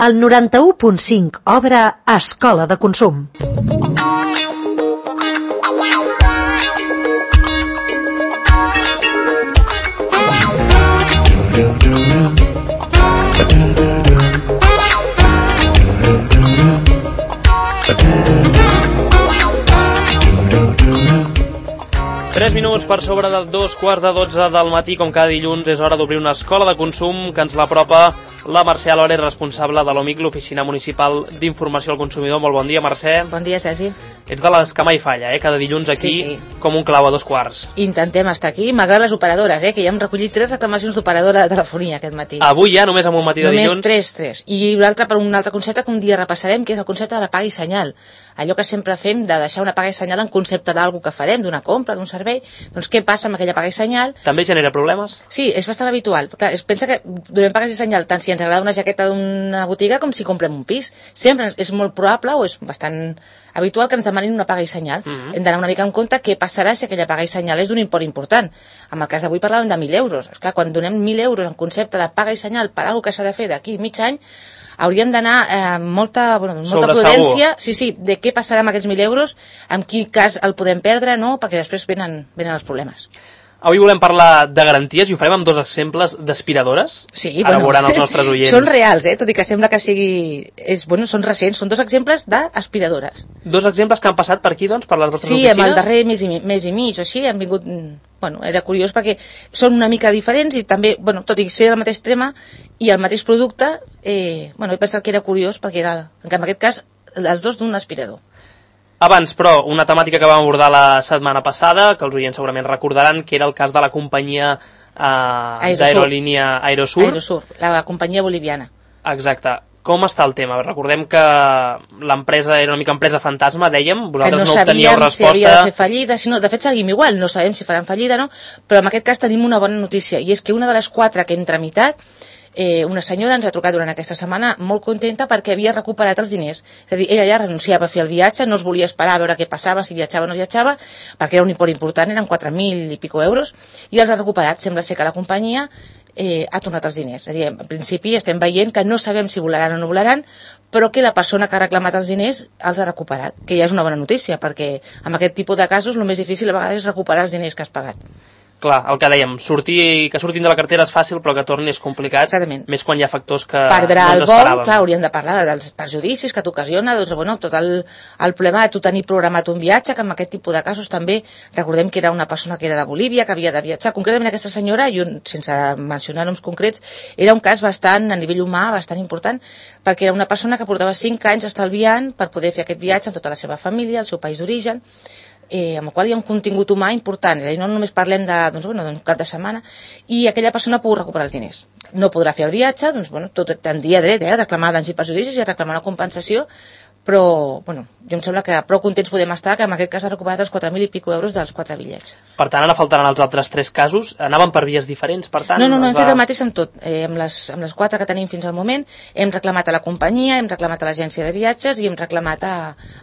El 91.5 obre Escola de Consum. Tres minuts per sobre de 2:15 del matí, com cada dilluns, és hora d'obrir una escola de consum que ens l'apropa la Mercè Alores, responsable de l'OMIC, l'Oficina Municipal d'Informació al Consumidor. Molt bon dia, Mercè. Bon dia, Sergi. Ets de les que mai falla, cada dilluns aquí, sí. Com un clau a 2:15. Intentem estar aquí, malgrat les operadores, que ja hem recollit 3 reclamacions d'operadora de telefonia aquest matí. Avui ja, només amb un matí de dilluns? Només 3. I l'altre per un altre concepte que un dia repassarem, que és el concepte de la paga i senyal. Allò que sempre fem de deixar una paga i senyal en concepte d'alguna que farem, d'una compra, d'un servei. Doncs què passa amb aquella paga i senyal? També genera problemes? Sí, és bastant habitual. Clar, pensa que donem pagues i senyal tant si ens agrada una jaqueta d'una botiga com si comprem un pis. Sempre és molt probable o és bastant habitual que ens demanin una paga i senyal. Hem d'anar una mica en compte què passarà si aquella paga i senyal és d'un import important. En el cas d'avui parlàvem de 1.000 euros. Esclar, quan donem 1.000 euros en concepte de paga i senyal per alguna que s'ha de fer d'aquí mig any, hauríem d'anar amb molta prudència, sí, de què passarà amb aquests 1.000 euros, en quin cas el podem perdre, no? Perquè després venen els problemes. Avui volem parlar de garanties i ho farem amb 2 exemples d'aspiradores. Sí, ara veuran els nostres oients. Són reals, tot i que sembla que sigui... són recents, són 2 exemples d'aspiradores. 2 exemples que han passat per aquí, doncs, per les vostres oficines? Sí, amb el darrer mes i mig o així, han vingut... era curiós perquè són una mica diferents i també, tot i ser del mateix tema i el mateix producte, he pensat que era curiós perquè era, en aquest cas, els 2 d'un aspirador. Abans, però, una temàtica que vam abordar la setmana passada, que els oients segurament recordaran, que era el cas de la companyia d'aerolínia Aerosur. Aerosur, la companyia boliviana. Exacte. Com està el tema? Recordem que l'empresa era una mica empresa fantasma, dèiem, vosaltres no obteníeu resposta. Si havia de fer fallida, de fet seguim igual, no sabem si faran fallida o no, però en aquest cas tenim una bona notícia, i és que una de les 4 que hem tramitat, una senyora ens ha trucat durant aquesta setmana molt contenta perquè havia recuperat els diners. És a dir, ella ja renunciava a fer el viatge, no es volia esperar a veure què passava, si viatjava o no viatjava, perquè era un import important, eren 4.000 i pico euros, i els ha recuperat. Sembla ser que la companyia ha tornat els diners. És a dir, en principi estem veient que no sabem si volaran o no volaran, però que la persona que ha reclamat els diners els ha recuperat, que ja és una bona notícia, perquè en aquest tipus de casos el més difícil a vegades és recuperar els diners que has pagat. Clar, el que dèiem, que surtin de la cartera és fàcil, però que tornin és complicat. Exactament. Més quan hi ha factors que perdrà no ens esperàvem. El vol, clar, hauríem de parlar dels perjudicis que t'ocasiona, tot el problema de tu tenir programat un viatge, que en aquest tipus de casos també, recordem que era una persona que era de Bolívia, que havia de viatjar, concretament aquesta senyora, i sense mencionar noms concrets, era un cas bastant, a nivell humà, bastant important, perquè era una persona que portava 5 anys estalviant per poder fer aquest viatge amb tota la seva família, el seu país d'origen, amb el qual hi ha un contingut humà important, és a dir, no només parlem d'un cap de setmana, i aquella persona ha pogut recuperar els diners. No podrà fer el viatge, tot tindria dret a reclamar danys i perjudicis i a reclamar una compensació, però, jo em sembla que prou contents podem estar que en aquest cas ha recuperat els 4.000 i pico euros dels 4 bitllets. Per tant, ara faltaran els altres 3 casos. Anaven per vies diferents, per tant... No, hem fet el mateix amb tot. Amb les 4 que tenim fins al moment, hem reclamat a la companyia, hem reclamat a l'agència de viatges i hem reclamat a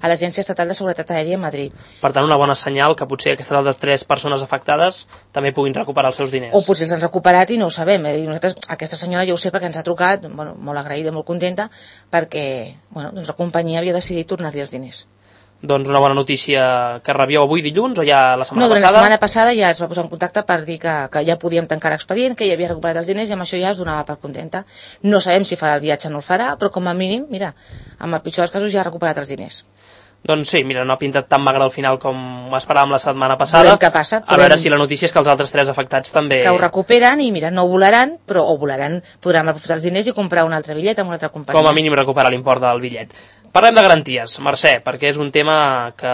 l'Agència Estatal de Seguretat Aèria a Madrid. Per tant, una bona senyal que potser aquestes altres 3 persones afectades també puguin recuperar els seus diners. O potser els han recuperat i no ho sabem. Nosaltres, aquesta senyora jo ho sé perquè ens ha trucat, molt agraïda, molt contenta, perquè la companyia havia decidit tornar-li els diners. Doncs una bona notícia que rebíeu avui dilluns o ja la setmana passada? No, durant la setmana passada ja es va posar en contacte per dir que ja podíem tancar l'expedient, que ja havia recuperat els diners i amb això ja es donava per contenta. No sabem si farà el viatge o no el farà, però com a mínim, mira, amb el pitjor dels casos ja ha recuperat els diners. Doncs sí, mira, no ha pintat tan magre al final com esperàvem la setmana passada. Veurem què passa. A veure si la notícia és que els altres 3 afectats també... Que ho recuperen i, mira, no volaran, però podran aprofitar els diners i comprar un altre bitllet amb una altra companyia. Com a mínim recuperar l'import del bitllet. Parlem de garanties, Mercè, perquè és un tema que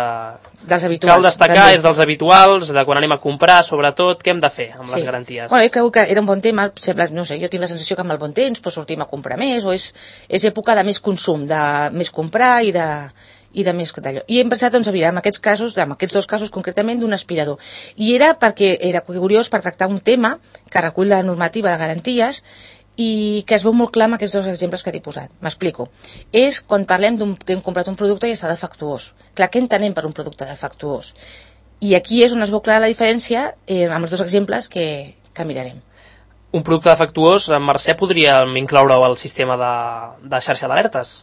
cal destacar, també. És dels habituals, de quan anem a comprar, sobretot, què hem de fer amb les garanties? Jo crec que era un bon tema, sembla, no sé, jo tinc la sensació que amb el bon temps sortim a comprar més, o és època de més consum, de més comprar i de més d'allò. I hem pensat, en aquests casos, en aquests 2 casos concretament, d'un aspirador. I era perquè era curiós per tractar un tema que recull la normativa de garanties i que es veu molt clar amb aquests 2 exemples que t'he posat. M'explico. És quan parlem que hem comprat un producte i està defectuós. Clar, què entenem per un producte defectuós? I aquí és on es veu clara la diferència amb els 2 exemples que mirarem. Un producte defectuós, Mercè, podríem incloure-ho al sistema de xarxa d'alertes?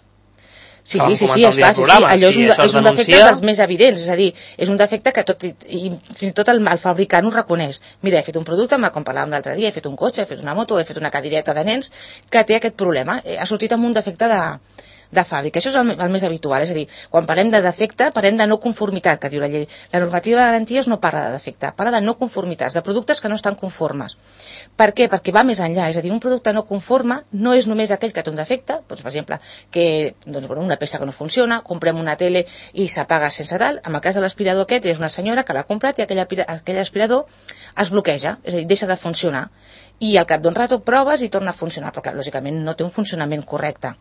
Sí, esclar, allò és un defecte dels més evidents, és a dir, és un defecte que fins i tot el fabricant ho reconeix. Mira, he fet un producte, com parlàvem l'altre dia, he fet un cotxe, he fet una moto, he fet una cadireta de nens que té aquest problema, ha sortit amb un defecte de fàbrica. Això és el més habitual, és a dir, quan parlem de defecte, parlem de no conformitat, que diu la llei. La normativa de garanties no parla de defecte, parla de no conformitats, de productes que no estan conformes. Per què? Perquè va més enllà, és a dir, un producte no conforme no és només aquell que té un defecte, doncs, per exemple, que una peça que no funciona, comprem una tele i s'apaga sense tal. En el cas de l'aspirador aquest, és una senyora que l'ha comprat i aquell aspirador es bloqueja, és a dir, deixa de funcionar. I al cap d'un rato proves i torna a funcionar, però clar, lògicament no té un funcionament correcte.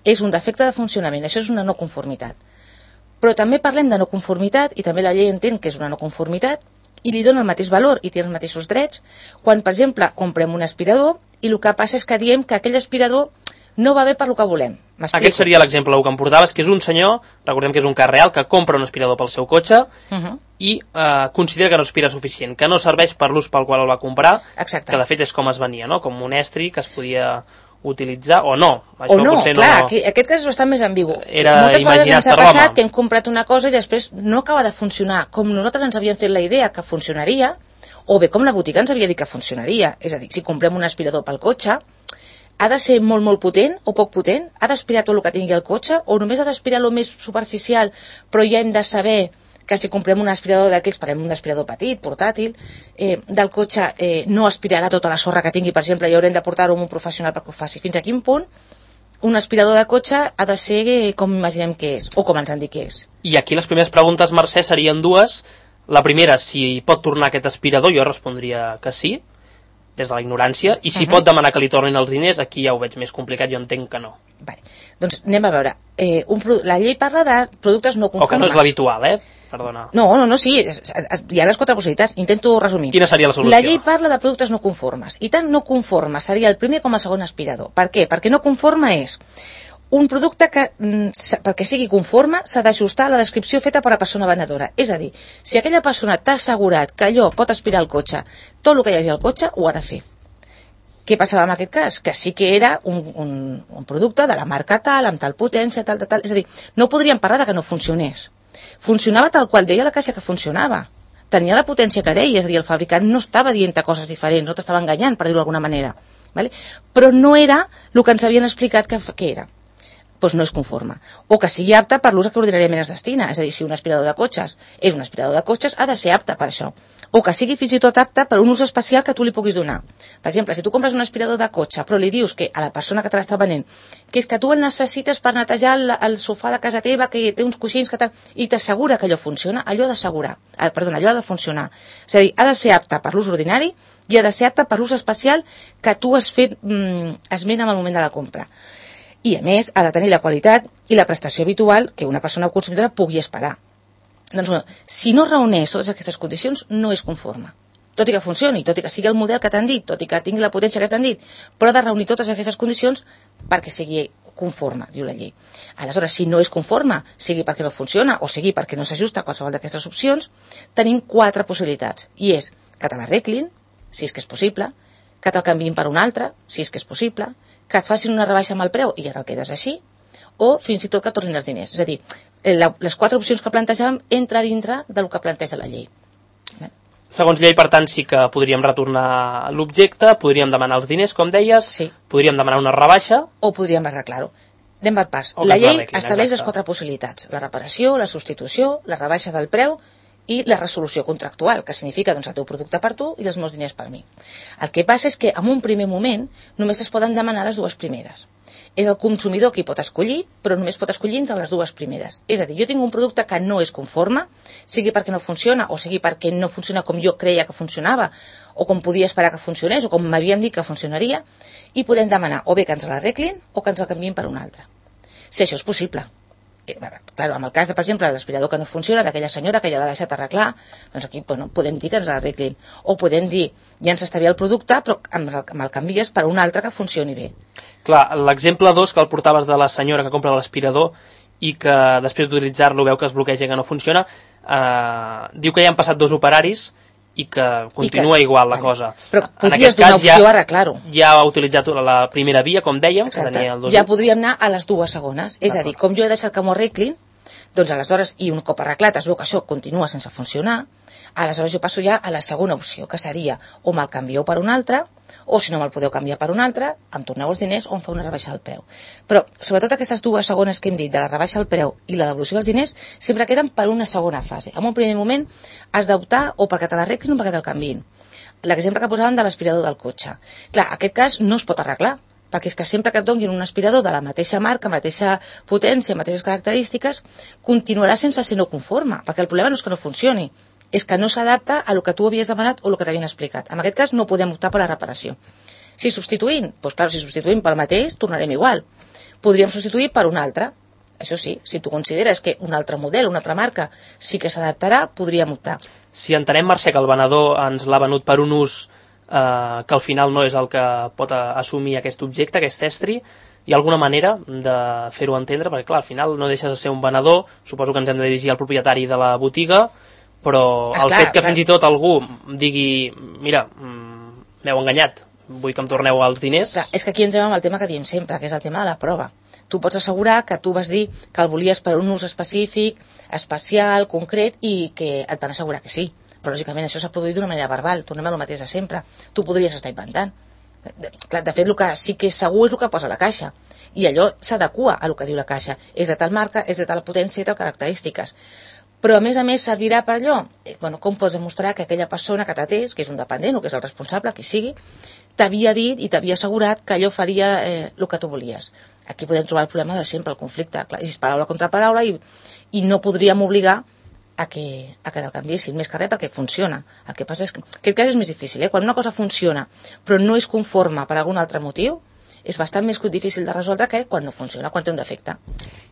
És un defecte de funcionament, això és una no conformitat. Però també parlem de no conformitat, i també la llei entén que és una no conformitat, i li dona el mateix valor i té els mateixos drets, quan, per exemple, comprem un aspirador i el que passa és que diem que aquell aspirador no va bé per lo que volem. Aquest seria l'exemple que em portaves, que és un senyor, recordem que és un cas real, que compra un aspirador pel seu cotxe i considera que no aspira suficient, que no serveix per l'ús pel qual el va comprar, Exacte. Que de fet és com es venia, no? Com un estri que es podia utilitzar o no. Això o no, potser clar, no... aquest cas és bastant més ambigu. Moltes vegades ens ha passat que hem comprat una cosa i després no acaba de funcionar com nosaltres ens havíem fet la idea que funcionaria, o bé com la botiga ens havia dit que funcionaria. És a dir, si comprem un aspirador pel cotxe, ha de ser molt, molt potent o poc potent? Ha d'aspirar tot el que tingui el cotxe? O només ha d'aspirar el més superficial, però ja hem de saber que si comprem un aspirador d'aquells, parlem un aspirador petit, portàtil, del cotxe no aspirarà tota la sorra que tingui, per exemple, i haurem de portar-ho amb un professional perquè ho faci. Fins a quin punt un aspirador de cotxe ha de ser com imaginem que és, o com ens han dit que és. I aquí les primeres preguntes, Mercè, serien dues. La primera, si pot tornar aquest aspirador, jo respondria que sí, des de la ignorància, i si pot demanar que li tornin els diners, aquí ja ho veig més complicat, jo entenc que no. Vale. Doncs anem a veure. La llei parla de productes no conformes. O que no és l'habitual, Perdona. No, sí, hi ha les 4 possibilitats. Intento resumir. Quina seria la solució? La llei parla de productes no conformes. I tant no conforme seria el primer com el segon aspirador. Per què? Perquè no conforme és un producte que, perquè sigui conforme, s'ha d'ajustar a la descripció feta per la persona venedora. És a dir, si aquella persona t'ha assegurat que allò pot aspirar el cotxe, tot el que hi hagi al cotxe ho ha de fer. Què passava en aquest cas? Que sí que era un producte de la marca tal, amb tal potència, tal. És a dir, no podríem parlar de que no funcionés. Funcionava tal qual deia la caixa que funcionava. Tenia la potència que deia, és a dir, el fabricant no estava dient coses diferents, no t'estava enganyant, per dir-ho d'alguna manera. Vale? Però no era el que ens havien explicat que era. Doncs no és conforme. O que sigui apte per l'ús que ordinàriament es destina. És a dir, si un aspirador de cotxes és un aspirador de cotxes, ha de ser apte per això. O que sigui fins i tot apte per un ús especial que tu li puguis donar. Per exemple, si tu compres un aspirador de cotxe, però li dius que a la persona que te l'està venent, que és que tu el necessites per netejar el sofà de casa teva, que té uns coixins, que tal, i t'assegura que allò funciona, allò ha de funcionar. És a dir, ha de ser apte per l'ús ordinari i ha de ser apte per l'ús especial que tu has fet esment en el moment de la compra. I, a més, ha de tenir la qualitat i la prestació habitual que una persona consumidora pugui esperar. Doncs, si no reuneix totes aquestes condicions, no és conforme. Tot i que funcioni, tot i que sigui el model que t'han dit, tot i que tingui la potència que t'han dit, però ha de reunir totes aquestes condicions perquè sigui conforme, diu la llei. Aleshores, si no és conforme, sigui perquè no funciona o sigui perquè no s'ajusta a qualsevol d'aquestes opcions, tenim 4 possibilitats. I és que te l'arreglin, si és que és possible, que te'l canviïn per un altre, si és que és possible, que et facin una rebaixa amb el preu i ja te'l quedes així, o fins i tot que tornin els diners. És a dir, les 4 opcions que plantejàvem entra dintre del que planteja la llei. Segons llei, per tant, sí que podríem retornar l'objecte, podríem demanar els diners, com deies, sí. Podríem demanar una rebaixa... O podríem arreglar-ho. Anem per pas. La llei estableix les 4 possibilitats. La reparació, la substitució, la rebaixa del preu i la resolució contractual, que significa doncs, el teu producte per tu i els meus diners per mi. El que passa és que en un primer moment només es poden demanar les 2 primeres. És el consumidor qui pot escollir, però només pot escollir entre les 2 primeres. És a dir, jo tinc un producte que no és conforme, sigui perquè no funciona o sigui perquè no funciona com jo creia que funcionava o com podia esperar que funcionés o com m'havien dit que funcionaria, i podem demanar o bé que ens l'arreglin o que ens el canviïn per un altre. Si això és possible. Claro, en el cas de, per exemple, l'aspirador que no funciona, d'aquella senyora que ja l'ha deixat arreglar, doncs aquí podem dir que ens l'arreglin. O podem dir, ja ens està bé el producte, però me'l canvies per un altre que funcioni bé. Clar, l'exemple 2 que el portaves de la senyora que compra l'aspirador i que després d'utilitzar-lo veu que es bloqueja i que no funciona, diu que ja han passat 2 operaris i que continua igual la cosa. Però podries donar opció a arreglar-ho. Ja ha utilitzat la primera via, com dèiem, exacte, que tenia el 2. Ja podríem anar a les dues segones. És a dir, com jo he deixat que m'ho arreglin, doncs aleshores, i un cop arreglat es veu que això continua sense funcionar, aleshores jo passo ja a la segona opció, que seria o me'l canvieu per un altre, o si no me'l podeu canviar per un altre, em torneu els diners o em fa una rebaixa del preu. Però, sobretot aquestes dues segones que hem dit, de la rebaixa del preu i la devolució dels diners, sempre queden per una segona fase. En un primer moment has d'optar o perquè te l'arreglin o perquè te'l canviïn. L'exemple que posàvem de l'aspirador del cotxe. Clar, aquest cas no es pot arreglar, perquè és que sempre que et donin un aspirador de la mateixa marca, mateixa potència, mateixes característiques, continuarà sense ser no conforme, perquè el problema no és que no funcioni, és que no s'adapta a lo que tu havies demanat o el que t'havien explicat. En aquest cas no podem optar per la reparació. Si substituïm, doncs clar, si substituïm pel mateix, tornarem igual. Podríem substituir per un altre. Això sí, si tu consideres que un altre model, una altra marca, sí que s'adaptarà, podríem optar. Si entenem, Mercè, que el venedor ens l'ha venut per un ús que al final no és el que pot assumir aquest objecte, aquest estri, hi ha alguna manera de fer-ho entendre? Perquè clar, al final no deixes de ser un venedor, suposo que ens hem de dirigir al propietari de la botiga, però el fet que fins i tot algú digui mira, m'heu enganyat, vull que em torneu els diners... Clar, és que aquí entrem amb el tema que diem sempre, que és el tema de la prova. Tu pots assegurar que tu vas dir que el volies per un ús específic, especial, concret, i que et van assegurar que sí. Però lògicament això s'ha produït d'una manera verbal, tornem a lo mateix de sempre. Tu podries estar inventant. De fet, el que sí que és segur és el que posa la caixa, i allò s'adequa a el que diu la caixa. És de tal marca, és de tal potència i tal característiques. Però a més servirà per allò, com pots demostrar que aquella persona que t'atès, que és un dependent o que és el responsable, qui sigui, t'havia dit i t'havia assegurat que allò faria el que tu volies. Aquí podem trobar el problema de sempre, el conflicte. Clar, és paraula contra paraula i no podríem obligar a que te'l canviessin, més que res perquè funciona. El que passa és que aquest cas és més difícil, quan una cosa funciona però no és conforme per algun altre motiu, és bastant més difícil de resoldre que quan no funciona, quan té un defecte.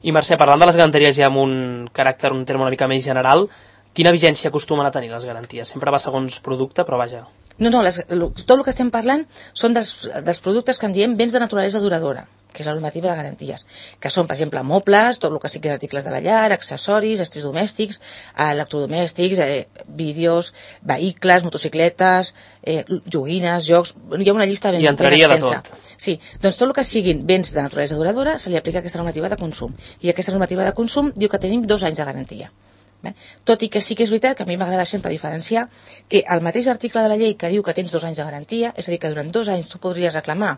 I Mercè, parlant de les garanties ja amb un caràcter, un terme una mica més general, quina vigència acostumen a tenir les garanties? Sempre va segons producte, però vaja... No, tot el que estem parlant són dels productes que en diem béns de naturalesa duradora, que és la normativa de garanties, que són, per exemple, mobles, tot el que siguin articles de la llar, accessoris, estris domèstics, electrodomèstics, vídeos, vehicles, motocicletes, joguines, jocs... Hi ha una llista ben extensa. I entraria de tot. Sí, doncs tot el que siguin béns de naturalesa duradora se li aplica aquesta normativa de consum. I aquesta normativa de consum diu que tenim 2 anys de garantia. Tot i que sí que és veritat que a mi m'agrada sempre diferenciar que el mateix article de la llei que diu que tens 2 anys de garantia, és a dir, que durant 2 anys tu podries reclamar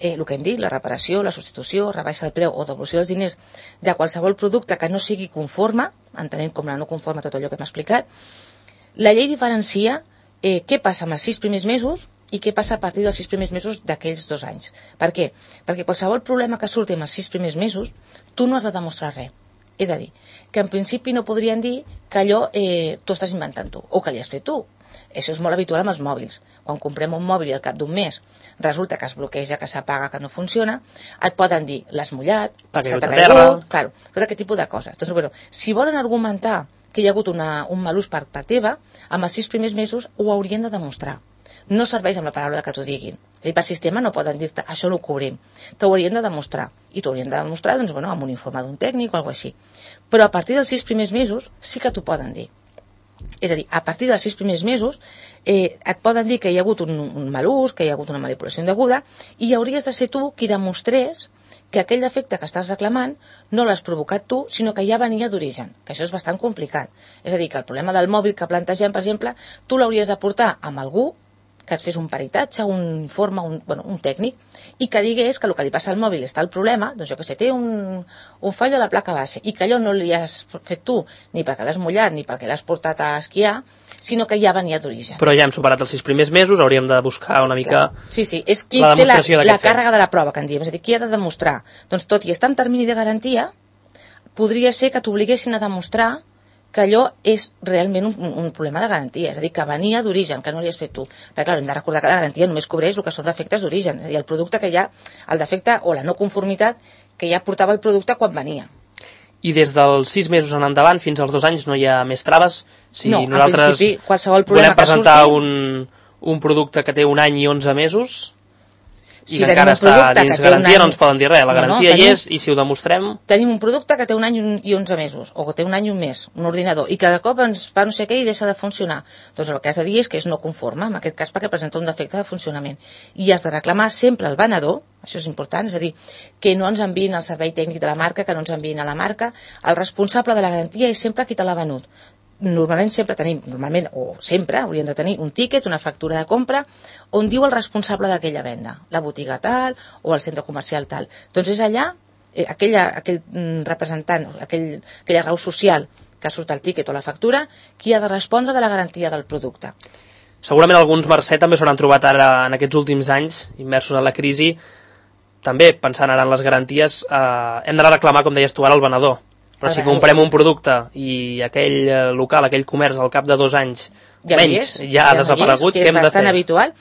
el que hem dit, la reparació, la substitució, rebaixa del preu o devolució dels diners de qualsevol producte que no sigui conforme, entenent com la no conforme tot allò que hem explicat. La llei diferencia què passa amb els 6 primers mesos i què passa a partir dels 6 primers mesos d'aquells 2 anys. Per què? Perquè qualsevol problema que surti amb els 6 primers mesos, tu no has de demostrar res. És a dir, que en principi no podrien dir que allò tu estàs inventant tu, o que li has fet tu. Això és molt habitual amb els mòbils. Quan comprem un mòbil i al cap d'un mes resulta que es bloqueja, que s'apaga, que no funciona, et poden dir, l'has mullat, se t'ha caigut, claro, tot aquest tipus de coses. Doncs, si volen argumentar que hi ha hagut un mal ús per part teva, amb els 6 primers mesos ho haurien de demostrar. No serveix amb la paraula que t'ho diguin. Per sistema no poden dir-te, això no ho cobrim. T'ho haurien de demostrar. I t'ho haurien de demostrar amb un informe d'un tècnic o alguna cosa així. Però a partir dels 6 primers mesos sí que t'ho poden dir. És a dir, a partir dels 6 primers mesos et poden dir que hi ha hagut un mal ús, que hi ha hagut una manipulació indeguda, i hauries de ser tu qui demostrés que aquell defecte que estàs reclamant no l'has provocat tu, sinó que ja venia d'origen, que això és bastant complicat. És a dir, que el problema del mòbil que plantegem, per exemple, tu l'hauries de portar amb algú que et fes un peritatge, un informe, un tècnic, i que digués que el que li passa al mòbil està el problema, doncs jo que sé, té un fallo a la placa base, i que allò no li has fet tu, ni perquè l'has mullat, ni perquè l'has portat a esquiar, sinó que ja venia d'origen. Però ja hem superat els 6 primers mesos, hauríem de buscar una mica... Sí, és qui té la càrrega de la prova, que en diem, és a dir, qui ha de demostrar. Doncs tot i estar en termini de garantia, podria ser que t'obliguessin a demostrar que allò és realment un problema de garantia, és a dir, que venia d'origen, que no li has fet tu. Perquè, clar, hem de recordar que la garantia només cobreix el que són defectes d'origen, és a dir, el producte que ja, el defecte o la no conformitat que ja portava el producte quan venia. I des dels 6 mesos en endavant fins als 2 anys no hi ha més traves? Si no, nosaltres en principi, qualsevol problema volem presentar un producte que té 1 any i 11 mesos... Si encara està dins garantia, no ens poden dir res. La garantia hi és, i si ho demostrem... Tenim un producte que té 1 any i 11 mesos, o que té 1 any i un mes, un ordinador, i cada cop ens fa no sé què i deixa de funcionar. Doncs el que has de dir és que és no conforme, en aquest cas perquè presenta un defecte de funcionament. I has de reclamar sempre al venedor, això és important, és a dir, que no ens enviïn el servei tècnic de la marca, que no ens enviïn a la marca. El responsable de la garantia és sempre qui te l'ha venut. Normalment hauríem de tenir un tíquet, una factura de compra, on diu el responsable d'aquella venda, la botiga tal o el centre comercial tal. Doncs és allà, aquell representant, aquella raó social que surt al tíquet o la factura, qui ha de respondre de la garantia del producte. Segurament alguns, Mercè, també s'hauran trobat ara en aquests últims anys, immersos en la crisi, també pensant ara en les garanties, hem de reclamar, com deies tu ara, al venedor. Però si comprem un producte i aquell local, aquell comerç, al cap de 2 anys menys, ja ha desaparegut, què hem de fer? Que és bastant habitual.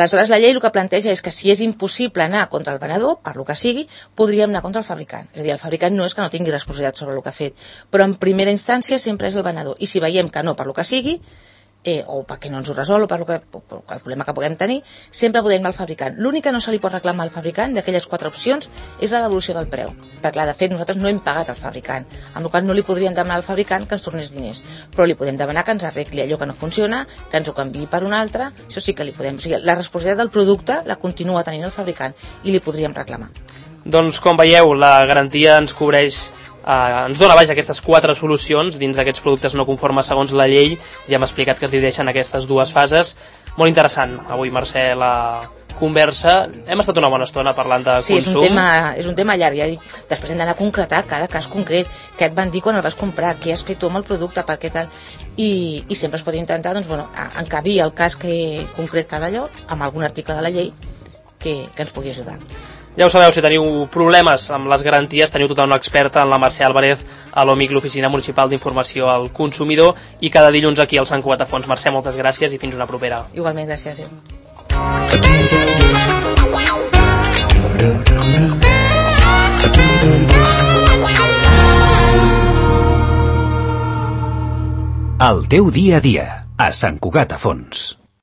Aleshores, la llei el que planteja és que si és impossible anar contra el venedor, per lo que sigui, podríem anar contra el fabricant. És a dir, el fabricant no és que no tingui responsabilitat sobre el que ha fet, però en primera instància sempre és el venedor. I si veiem que no, per lo que sigui, o perquè no ens ho resol, o per el problema que puguem tenir, sempre podem anar al fabricant. L'únic que no se li pot reclamar al fabricant d'aquelles 4 opcions és la devolució del preu, perquè clar, de fet nosaltres no hem pagat al fabricant, amb la qual no li podríem demanar al fabricant que ens tornés diners, però li podem demanar que ens arregli allò que no funciona, que ens ho canviï per un altre, això sí que li podem. O sigui, la responsabilitat del producte la continua tenint el fabricant i li podríem reclamar. Doncs com veieu, la garantia ens cobreix ens dona aquestes 4 solucions dins d'aquests productes no conformes segons la llei. Ja hem explicat que es divideixen aquestes 2 fases. Molt interessant avui, Mercè, la conversa. Hem estat una bona estona parlant de consum. Sí, és un tema llarg. Ja dic, després hem d'anar a concretar cada cas concret, què et van dir quan el vas comprar, què has fet tu amb el producte, per què tal, i sempre es pot intentar encabir el cas concret cada lloc amb algun article de la llei que ens pugui ajudar. Ja ho sabeu, si teniu problemes amb les garanties, teniu tota una experta en la Mercè Álvarez a l'OMIC, l'Oficina Municipal d'Informació al Consumidor, i cada dilluns aquí al Sant Cugat a Fons. Mercè, moltes gràcies i fins una propera. Igualment, gràcies. El teu dia a dia, a Sant Cugat a Fons.